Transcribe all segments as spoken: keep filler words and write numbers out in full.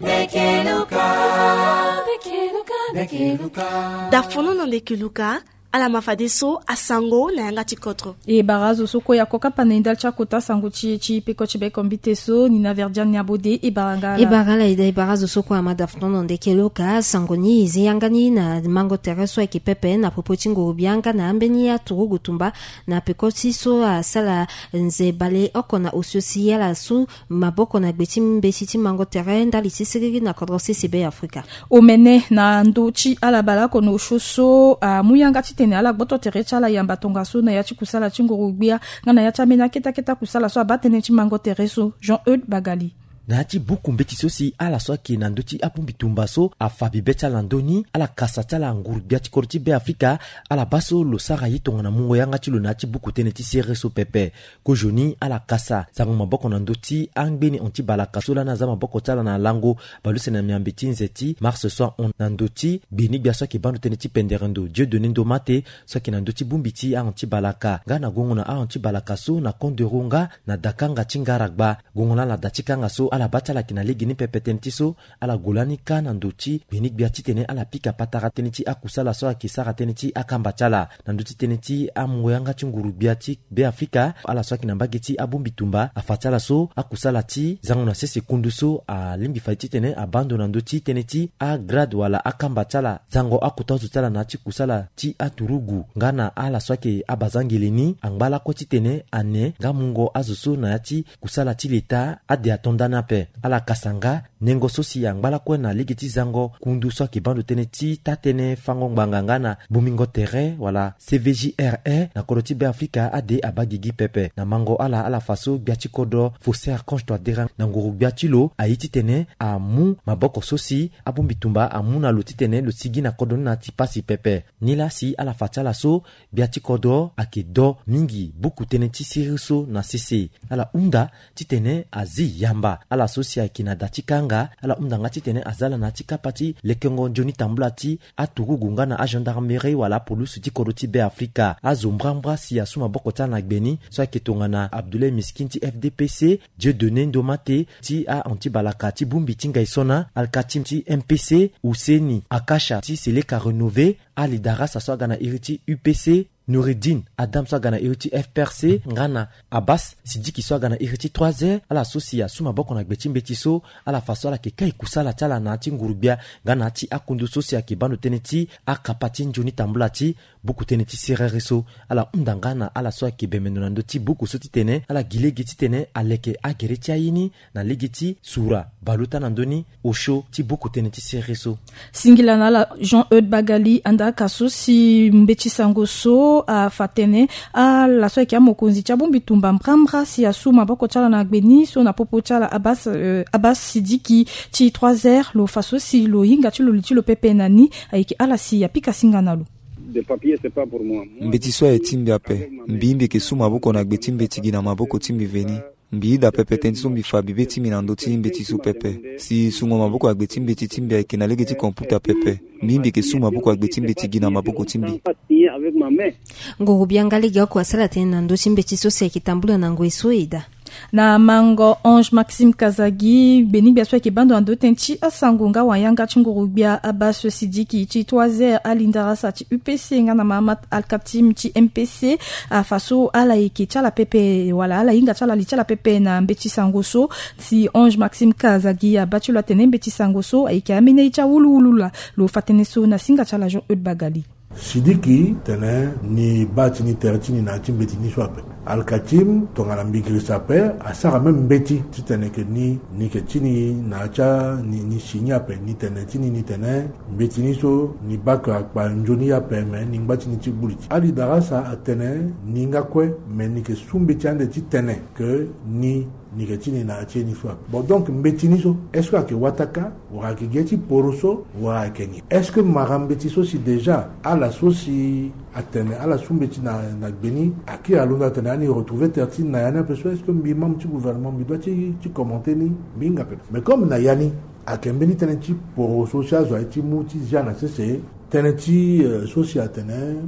Ndeke Luka. Ndeke Luka. Ndeke Luka. Dafono na Ndeke Luka. Ala ma fadeso asango na yanga ti kodro. E bara azo so kue ya kokapa na e ndali ti akota sango ti e ti peko ti bekombite so ni na Verdiane Niabode. E bara nga ala. E bara ala ida e bara azo so kue ama dafono na Ndeke Luka. Sango ni e zi yanga ni na mango tere so ayeke pepe na popo ti nguru bia nga na ambeni aturugu tumba na peko ti so asala nze baleoko na osio si ala su maboko na gbe ti mbeti ti mango tere ndali ti siriri na kodro sese Be Afrika. Omene na ndö ti ala baleoko na osio so amu yanga titene ala gboto tere ti ala yamba tongaso na ya ti kusala ti nguru gbia nga na ya ti ambeni akete akete akusala so abaa tënë ti mango tere so. Jean Eude Bagali. Na ya ti buku mbeti so si ala so ayeke na ndö ti abongbi tumba so afa bibe ti ala na ndö ni, ala kasa ti ala nguru gbia ti kodro ti Be Afrika, ala baa so lo sara ye tongana mungo yanga ti lo na ya ti buku tënë ti siriri so pepe. Kozoni ala kasa sango maboko na ndö ti angbeni hon ti balaka so lani aza maboko ti ala na lango baleuse na miambe ti nze ti mars so ahon na ndö ti gbeni gbia so ayeke baa ndo tënë ti pendere ndo Dieudonné Ndomate so ayeke na ndö ti bongbi ti ahon ti balaka. Nga na gongo na ahon ti balaka so na konderu nga na dakanga ti ngaragba. Gongo lani ala da ti kanga so ala baa ti ala yeke na lege ni pepe tënë ti so ala gue lani kâ na ndö ti gbeni gbia titene ala pika patara tënë ti akusala so ayeke sara tënë ti akamba ti ala. Na ndö ti tënë ti amungo yanga ti nguru gbia ti Be Afrika, ala so ayeke na mbage ti abongbi tumba afa ti ala so akusala ti zango na sese kundu so alingbi fade titene abaa ndo na ndö ti tënë ti agrade wala akamba ti ala zango akota zo ti ala na ya ti kusala ti aturugu nga na ala so ayeke abazangele ni angba lakue titene ane nga mungo azo so na ya ti kusala ti leta ade ato ndani ape. Ala kasa nga nengo so si angba lakue na lege ti zango kundu so ayeke baa ndo tënë ti taa-tënë fango ngbanga nga na bongbingo tere wala C V J R E na kodro ti Be Afrika ade abaa gigi pepe. Na mango ala ala fa so gbia ti kodro Faustin Archange Touadéra na nguru gbia ti lo aye titene amu maboko so si abongbi tumba amu na lo titene lo sigi na kodro ni na ya ti pasi pepe. Nilaa si ala fa ti ala so gbia ti kodro ayeke do mingi buku tënë ti siriri so na sese. Ala hunda titene azi yamba ala so si ayeke na da ti kanga. Ala hunda nga titene aza ala na ya ti kapa ti lekengo nzoni tambula ti aturugu nga na agendarmerie wala apolusu ti kodro ti Be Afrika. Azo mbrambra si asu maboko ti ala na gbe ni so ayeke tongana Abdoulaye Miskine ti F D P C, Dieudonné Ndomate ti ahon ti balaka ti bongbi ti ngai so na Alkatim ti M P C, Husseini Akasha ti Seleka Renové, Ali Darasa so aga na iri ti U P C, Noureddine Adam so aga na iri ti F P R C nga na Abbas Sidiki so aga na iri ti trois R. Ala so si asu maboko na gbe ti mbeti so, ala fa so ala yeke kai kusala ti ala na ya ti nguru gbia nga na ya ti akundu so si ayeke baa ndo tënë ti akapa ti nzoni tambula ti buku tënë ti siriri so. Ala hunda nga na ala so ayeke bembe ndo na ndö ti buku so titene ala gi lege titene aleke agere ti aye ni na lege ti sura baleota na ndö ni osio ti buku tënë ti siriri so. Singila na ala Jean Eude Bagali. Andaa ka so si mbeti sango so afa tënë ala so ayeke amokonzi ti abongbi tumba mbrambra si asu maboko ti ala na gbe ni so na popo ti ala Abbas, euh, Abbas Sidiki ti trois R, lo fa so si lo hinga ti lo li ti lo pepe na ni, ayeke ala si apika singa na lo. Des papiers, c'est pas pour moi. Moi, mbeti so aye ti mbi ape. Mbi mbi yeke su maboko na gbe ti mbeti gi na maboko ti mbi veni. Mbi yeda pepe tënë ti so mbi fa bibe ti mbi na ndö ti mbeti so pepe. Si sungo maboko agbe ti mbeti ti mbi ayeke na lege ti computa pepe. Mbi mbi yeke su maboko agbe ti mbeti gi na maboko ti mbi. Nguru bia nga lege oko asara tënë na ndö ti mbeti so si ayeke tambula na ngoi so eda. Na mango Ange Maxime Kazagi, gbeni gbia so ayeke baa ndo na ndö tënë ti asango nga wayanga ti nguru gbia Abbas Sidiki ti trois R, Ali Darasa ti U P C nga na Mahamat Alkatim ti M P C, afa so ala yeke ti ala pepe wala ala hinga ti ala li ti ala pepe na mbeti sango so. Si Ange Maxime Kazagi abaa ti lo atene mbeti sango so ayeke ambeni aye ti awuluwulu laa. Lo fa tënë so na singa ti ala Jean Eude Bagali. Sidiki tene ni baa ti ni tere ti ni na ya ti mbeti ni so ape. Alkatim tongana mbi girisa ape, asara même mbeti titene ke ni, ni ke ti ni na ya ti a, ni, ni si ni ape, ni tene ti ni, ni tene mbeti ni so ni baa ke akpa nzoni ye ape, me ni ngba ti ni ti gbu li ti. Ali Darasa atene ni nga kue, me ni ke su mbeti ande titene ke ni ni ke ti ni na ya ti ye ni so ape. Bon, donc mbeti ni so est-ce que ayeke wataka, wala ayeke gi ye ti poroso, wala ayeke ni? Est-ce que mara mbeti so si déjà ala so si atene ala su mbeti na, na gbe ni, akiri alondo atene ani retrouver tere ti ni na ya ni ape so, est-ce que mbi membre ti gouvernement mbi doit ti, ti commenter ni? Mbi hinga pepe. Mais comme na ya ni ayeke mbeni tënë ti poroso si azo aye ti mu ti zia na sese, tënë ti, euh, so si atene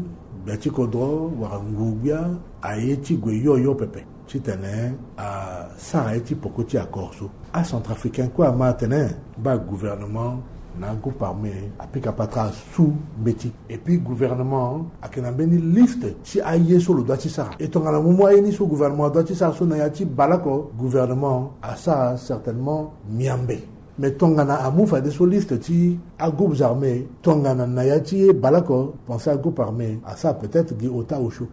gbia ti kodro wala nguru gbia aye ti gue hio hio pepe. titene asara ye ti poko ti accord so. Acentrafricain kue ama atene baa gouvernement na agroupe armé apika patara asu mbeti. Et puis gouvernement ayeke na mbeni liste ti aye so lo dua ti sara. E tongana mo mu aye ni so gouvernement adua ti sara so na ya ti baleoko, gouvernement asara certainement miambe. Mais tongana amu fadeso liste ti agroupes armés, tongana na ya ti ye baleoko, pense agroupe armé asara peut-être gi ota osio.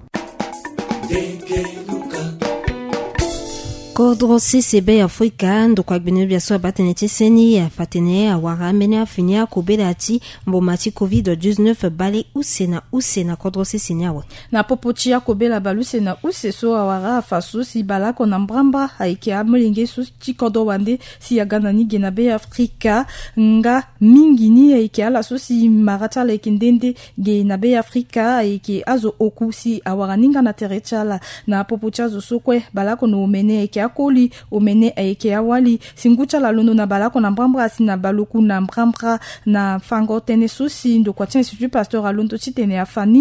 Kodro sese Bêafrika, ndokua gbene biaso abaa tënë ti seni afa tene awara ambeni afini akobela ti mboma ti covid dix-neuf bale use na use na kodro sese ni awe. Na popo ti akobela bale use na use so awara afa so si baleoko na mbrambra ayeke amolenge so ti kodro wande si aga na ni ge na Bêafrika. Nga mingi ni ayeke ala so si mara ti ala ayeke nde nde ge na Bêafrika ayeke azo oku si awara ni nga na tere ti ala. Na popo ti azo so kue baleoko na omene ayeke akoli, omene ayeke awali. Si ngu ti ala alondo na baleoko na mbrambra asi na baleoku na mbrambra. Na fango tënë so si ndokua ti Institut Pasteur alondo titene afa ni